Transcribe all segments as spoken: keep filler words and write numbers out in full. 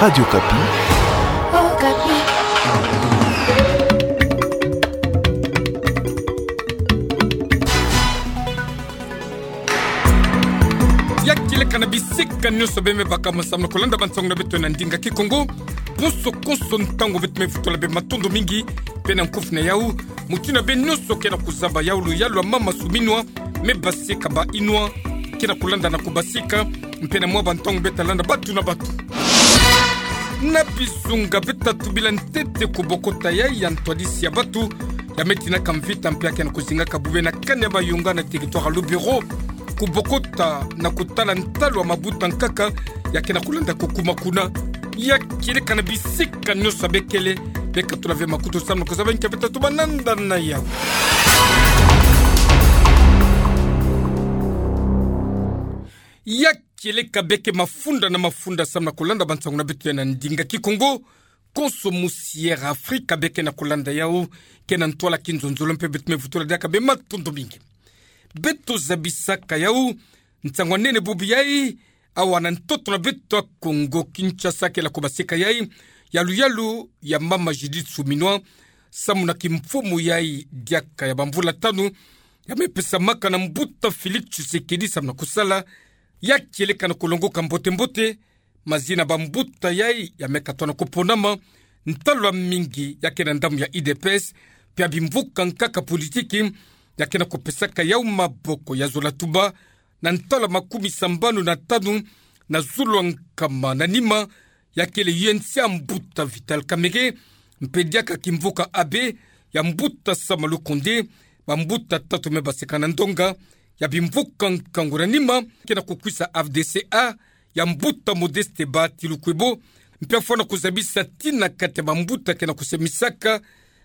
Radio Okapi. Okapi. Ya kieleka na bisika nyonso beme baka mo samu na kolanda bansangu na beto na ndinga Kikongo. Konso konso ntangu beto me vutula bima, matondo mingi. Mpe na nkufi na yau, mutindu beno nyonso ke na kuzaba yau, luyalu ya mama Suminwa me basika ba inwa ke na kolanda na kubasika, mpe na mwa bantangu beta landa batu na batu. Na bizunga beta tubila ntete, kubokota yai ya ntwadisi ya batu ya me tinaka mvita mpe ya ke na kuzingaka bube na kani ya bayonga na territoire ya Lubero, kubokota na kutala ntalu ya mabuta nkaka ya ke na kolanda kukuma kuna. Ya kieleka na bisika nyonso ya bekele, bekatula ve makutu samu na kuzaba nki ya beta tuba nanda na yau. Ya kieleka beke mafunda na mafunda samu na kolanda bansangu na beto ya na ndinga Kikongo. Konso musi Air Afrika beke na kolanda yau, ke na ntwala kinzonzolo, mpe beto me vutula diaka bima, matondo mingi. Beto zabisaka yau nsangu ya nene bubu yai, awa na ntoto na beto ya Kongo Kinshasa, ke na kubasika yai ya luyalu ya mama Judith Suminwa samu na kimfumu yai diaka ya bamvula tanu ya me pesamaka na mbuta Félix Tshisekedi samu na kusala. Ya kieleka na kulongoka mbote-mbote mazina bambuta yai ya me katwa na kuponama, ntalu ya mingi ya ke na ndambu ya U D P S, mpe ya bimvuka nkaka politiki ya ke na kupesaka yau maboko ya zola tuba na ntalu ya makumi sambanu na tanu na zulu ya nkama na nima, ya kele U N C ya mbuta Vital Kamerhe, mpe diaka kimvuka A B ya mbuta Sama Lukonde, bambuta tatu me baseka na ndonga ya bimvuka nkangu. Na nima ke na kukwisa F D C A ya mbuta Modeste Bahati Lukwebo, mpe afwana kuzabisa ti na kati ya bambuta ke na kusemisaka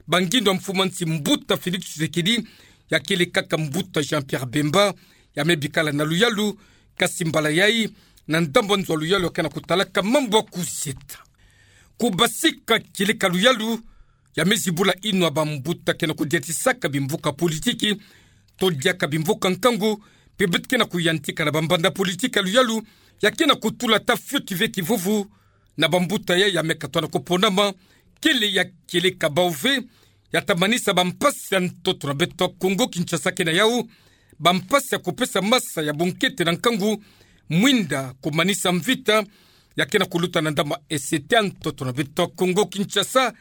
bangindo ya mfumu ya nsi mbuta Félix Tshisekedi, ya kele kaka mbuta Jean-Pierre Bemba, ya me bikala na luyalu, kasi mbala yai na ndambu ya nzo ya luyalu ya ke na kutalaka mambu ya kuzieta. Kubasika kieleka luyalu ya me zibula inwa bambuta ke na kudiatisaka bimvuka politiki, to diaka bimvuka nkangu, mpe beto ke na kuyantika na bambanza politiki ya luyalu ya ke na kutula ata fioti ve kivuvu na bambuta yai ya me katwa na kuponama, kele ya kieleka bau ve ya ta manisa bampasi ya ntoto na beto ya Kongo Kinshasa ke na yau, bampasi ya kupesa masa ya bunkete na nkangu, mwinda kumanisa mvita ya ke na kuluta na ndambu ya E C T ya ntoto na beto ya Kongo Kinshasa,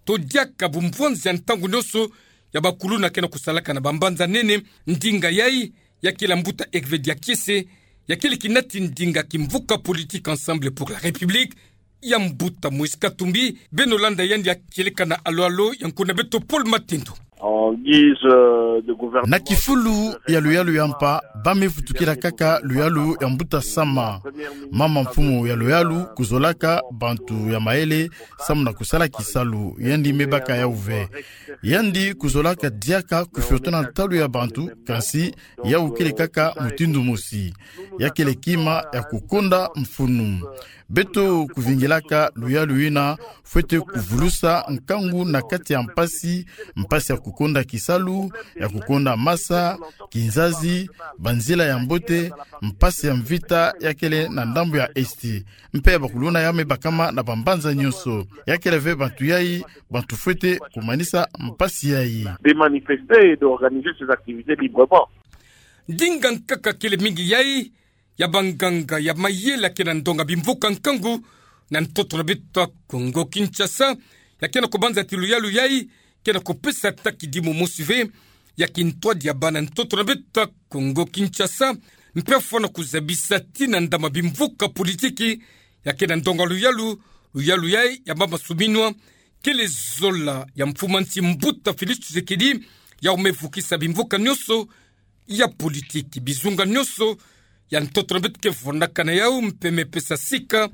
to diaka bumvwanzi ya ntangu nyonso ya bakuluna ke na kusalaka na bambanza nene. Ndinga yai ya kele ya mbuta Hervé Diakiese, ya kele kinati ndinga kimvuka politique Ensemble pour la République, ya mbuta Moïse Katumbi. Beno landa yandi ya kieleka na alo-alo ya nkuna beto Paul Matendo. En guise, euh, de gouvernement. Na kifulu ya luyalu ya mpa, ba me vutukila kaka luyalu ya mbuta Sama, mama mfumu ya luyalu, kuzolaka bantu ya mayele samu na kusala kisalu. Yandi me baka yau ve. Yandi kuzolaka diaka kufiotona ntalu ya bantu, kansi yau kele kaka mutindu mosi. Ya kele kima ya kukonda mfunu. Beto kuvingilaka luyalu yina, fwete kuvulusa nkangu na kati ya mpasi, mpasi ya kukonda kisalu, ya kukonda masa, kinzazi, banzila ya mbote, mpasi ya mvita ya kele na ndambu ya Est. Mpe bakuluna ya me bakama na bambanza nyonso. Ya kele ve bantu yai, bantu fwete kumanisa mpasi yai. De manifester et d'organiser ses activités librement. Ndinga nkaka kele mingi yai ya banganga ya mayele ya ke na ndonga bimvuka nkangu na ntoto na beto ya Kongo Kinshasa, ya ke na kubanza ti luyalu yai ke na kupesa ata kidimu mosi ve ya kintwadi ya bana ntoto na beto ya Kongo Kinshasa, mpe afwana kuzabisa ti na ndambu ya bimvuka politiki ya ke na ndonga luyalu, luyalu yai ya mama Suminwa, kele zola ya mfumu ya nsi mbuta Félix Tshisekedi, yau me vukisa bimvuka nyonso ya politiki, bizunga nyonso ya ntoto na beto ke fondaka na yau, mpe me pesa sika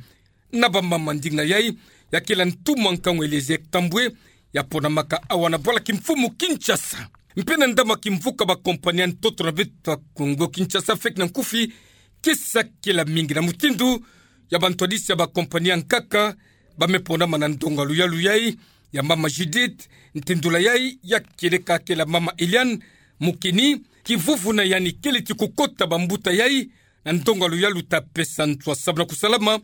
na bamama. Ndinga yai ya kele ya ntumwa nkangu Eliezer Ntambwe, ya ponamaka awa na bwala kimfumu Kinshasa. Mpe na ndambu ya kimvuka bakompani ya ntoto na beto ya Kongo Kinshasa, feke na nkufi ke sakela mingi na mutindu ya bantwadisi ya bakompani ya nkaka ba me ponama na ndonga luyalu yai ya mama Judith. Ntindula yai ya kieleka kele ya mama Eliane Mukini. Kivuvu na yandi kele ti kukota bambuta yai na ndonga luyalu ta pesa nswa samu na kusalama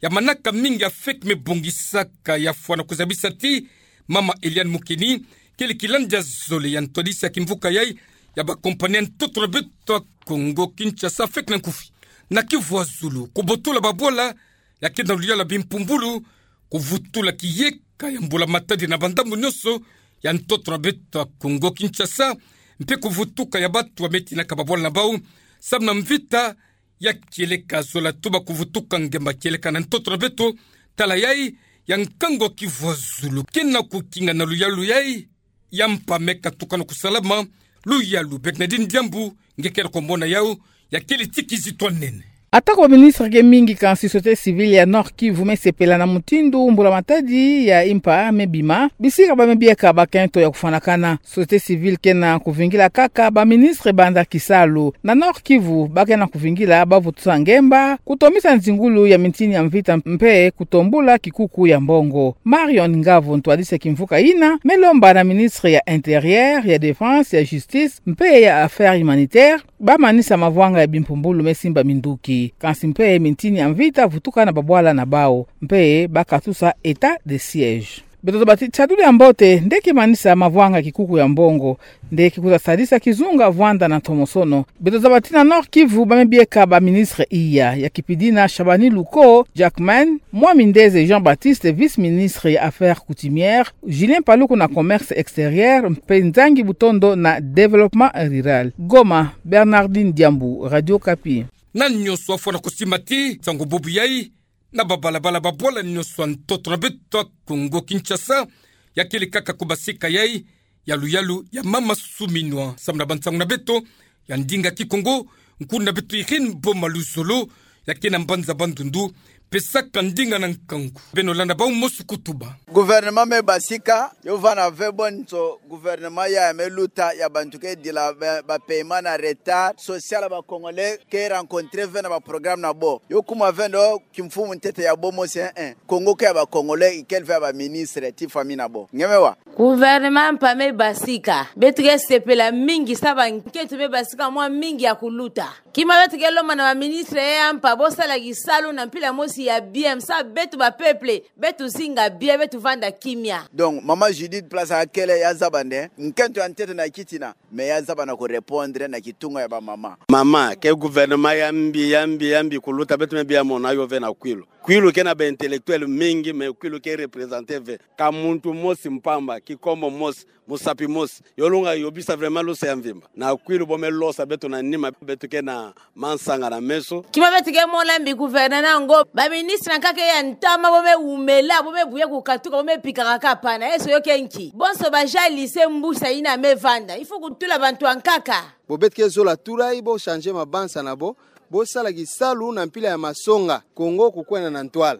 ya manaka mingi ya feke me bongisaka ya fwana kuzabisa ti Mama Eliane Mukeni, kele kilandi ya zole ya ntwadisi ya kimvuka yai ya ba compagnie ya ntoto na beto ya Kongo Kinshasa feke na nkufi. Na Kivu ya zulu, kubotula babwala ya kena luyalu ya bimpumbulu, kuvutula kiyeka ya mbula matadi na bandambu nyonso ya ntoto na beto ya Kongo Kinshasa, mpe kuvutuka ya bato ya me tinaka babwala na bau, samu na mvita ya kieleka zola tuba kuvutuka ngemba kieleka na ntoto na beto. Tala yai ya nkangu ya Kivu ya zulu kena kukinga na luyalu yai ya mpa me katuka na kusalama. Luyalu Bernardine Diambu nge kele komona yau, ya kele ti kizito nene. Atako ba ministre ke mingi, kansi société civile ya Nord-Kivu me sepela na mutindu mbula matadi ya mpa me bima. Bisika ba me bieka bakento ya kufwanakana. Société civile kena kuvingila kaka ba ministre banda kisalu. Na Nord-Kivu ba kena kuvingila ba vutusa ngemba, kutomisa nzingulu ya mintini ya mvita mpe kutombula kikuku ya mbongo. Marion Ngavo, ntwadisi ya kimvuka yina, me lomba na ministre ya Intérieur, ya Défense, ya Justice mpe ya Affaires humanitaires ba manisa mavwanga ya bimpumbulu me simba minduki, kansi mpe mintini ya mvita vutuka na babwala na bau, mpe ba katusa état de siège. Beto zaba ti tiadulu ya mbote nde ke manisa mavwanga ya kikuku ya mbongo, nde ke kuta sadisa kizunga vwanda na ntomosono. Beto zaba ti na Nord-Kivu ba me bieka ba ministre iya, ya kipidi na Shabani Luko Jackman, Mwami Ndeze Jean-Baptiste, vice-ministre ya Affaires coutumières, Julien Paluku na Commerce extérieur, mpe Nzangi Butondo na Développement rural. Goma, Bernardine Diambu, Radio Okapi. Na nyonso afwana kusimba ti nsangu bubu yai na babalabala, babwala nyonso ya ntoto na beto ya Kongo Kinshasa, ya kele kaka kubasika yai ya luyalu ya mama suminwa. Samu na bansangu na beto ya ndinga Kikongo, nkuna beto Irène Boma Luzolo, ya kena mbanza Bandundu, pesaka ndinga na nkangu. Beno landa bau mosi kutuba. Gouvernement me basika, yo vanda ve bo nso gouvernement ya, ya me luta, ya bantu ke dila ba, ba paiement na retard, social ya ba Congolais ke rencontrer ve na ba programme na bo. Yo kuma ve ndo kimfumu ntete ya bo mosi, eh, eh. Congo ke ya ba Congolais, ikele ve ya ba ministre ti famille na bo. Nge me wa. Gouvernement mpa me basika. Beto ke sepela mingi sa bankento me basika mwa mingi ya kuluta. Kima beto ke lomba na ba ministre ya mpa, bo sala kisalu na mpila mosi ya bien, sa beto ba peuple, beto zinga bien, beto vanda kimia. Donc, mama Judith, place akele ya zaba nde, nkento ya ntete na kitina, mais ya zaba na ku répondre na kitunga ya ba mama. Mama, ke gouvernement ya mbi, ya mbi, ya mbi kuluta, beto me bia mona yo ve na Kwilu. Kwilu ke na ba intellectuel mingi, mais Kwilu ke représenter ve ka muntu mosi mpamba, Kikongo mosi, musapi mosi. Yo lunga yo bisa vraiment lusa ya mvimba. Na Kwilu bo me losa beto na nima, beto ke na mansanga na meso. Kima beto ke mona mbi gouvernement na ngo, ba ministre nkaka ya ntama bo me wumela, bo me buya kukatuka, bo me pikaka kapana. Eso yo ke nki? Bonso ba jalise mbusa yina me vanda. Il faut kutula bantu ankaka. Bo beto ke zola tula yi, bo changer mabanza na bo, bo sala kisalu na mpila ya masonga, Congo kukwenda na ntwala.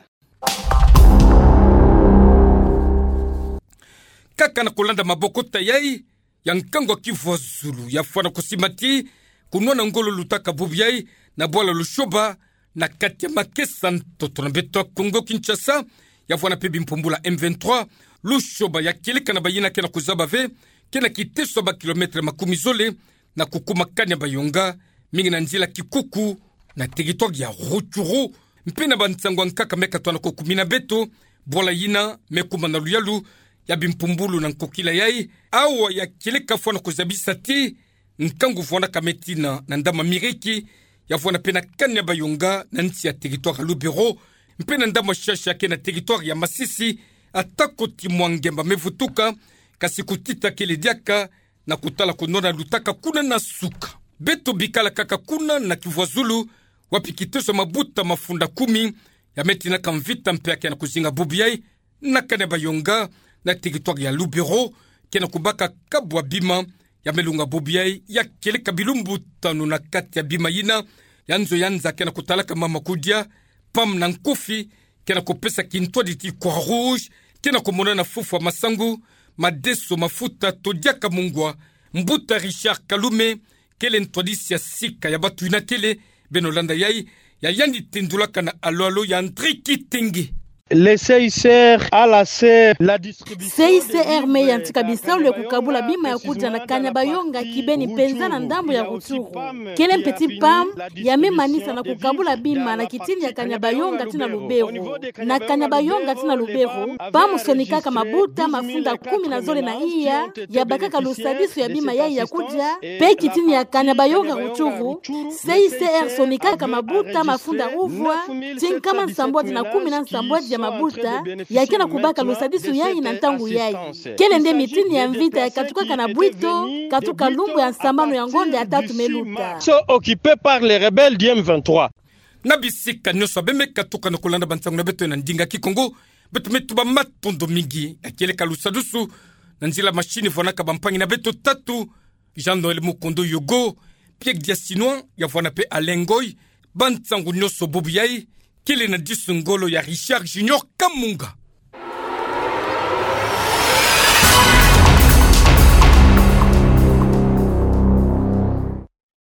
Kaka na kulanda maboko ta yai, ya nkangu ya Kivu ya zulu ya fwana kusimba ti kunwana ngolo lutaka bubu yai na bwala Lushoba, na kati ya makesa ntoto na beto ya Congo Kinshasa, ya fwana mpe bimpumbulu ya M vingt-trois. Lushoba ya kieleka na bayina ke na kuzaba ve, ke na kiteso ya ba kilomètre makumi zole, na kukuma kani ya Bayonga, mingi na nzila kikuku, na territoire ya Rutshuru, mpe na bansangu ankaka me katwana kukumina beto. Bwala yina me kuma na luyalu ya bimpumbulu na nkokila yai, awa ya kieleka fwana kuzabisa ti nkangu fwanaka me tina na ndama Miriki, ya fwana mpe na kani ya Bayonga na nsi ya territoire ya Lubero, mpe na ndama Shasha ke na territoire ya Masisi. Atako ti mwa ngemba me vutuka, kasi kutita kele diaka, na kutala kunwana lutaka kuna na suka. Beto bikala kaka kuna na Kivu ya zulu, wapi kiteso ya mabuta mafunda kumi ya me tinaka mvita mpe ya ke na kuzinga bubu yai, na kani ya Bayonga, na territoire ya Lubero, ke na kubaka kabu ya bima ya me lunga bubu yai, ya kieleka bilumbu tanu na kati ya bima yina, ya nzo ya nza ke na kutalaka mama kudia, pam na nkufi, ke na kupesa kintwadi ti Croix-Rouge, ke na kumonana fufwa masangu, madeso, mafuta, to diaka mungwa. Mbuta Richard Kalume, kele ntwadisi ya sika ya batu yina kele, beno landa yai, ya yandi tendulaka na alo-alo ya André Kitenge. Le C I C R a lancé la distribution. C I C R me yantika bisalu ya kukabula bima ya kudia na Kanyabayonga kibeni mpenza na ndambu ya Rutshuru. Kele mpeti PAM ya me manisa na kukabula bima na kitini ya Kanyabayonga tii na Lubero. Na Kanyabayonga tii na Lubero, PAM sonikaka mabuta mafunda kumi na zole na iya ya bakaka lusadisu ya bima yayi ya kudia, mpe kitini ya Kanyabayonga Rutshuru, C I C R sonikaka mabuta mafunda uvwa ti nkama nsambwadi na kumi na nsambwadi ya mabuta ya kena kubaka lusadisu yayi na ntangu yayi. Kele nde mitini ya mvita ya katukaka na bwito, katuka lumbu ya nsambanu ya ngonda ya tatu me luta. Sont occupés par les rebelles du M vingt-trois. Na bisika nyonso abe me katuka na kulanda bansangu na beto na ndinga Kikongo, beto me tuba matondo mingi. Na kieleka lusadisu na nzila machine vwanaka bampangi na beto tatu, Jean-Noël Mukondo Yogo, Pierre Diasinois, ya vwana mpe Alain Ngoy, bansangu nyonso bobo yayi, kele na disu ngolo ya Richard Junior Kamunga.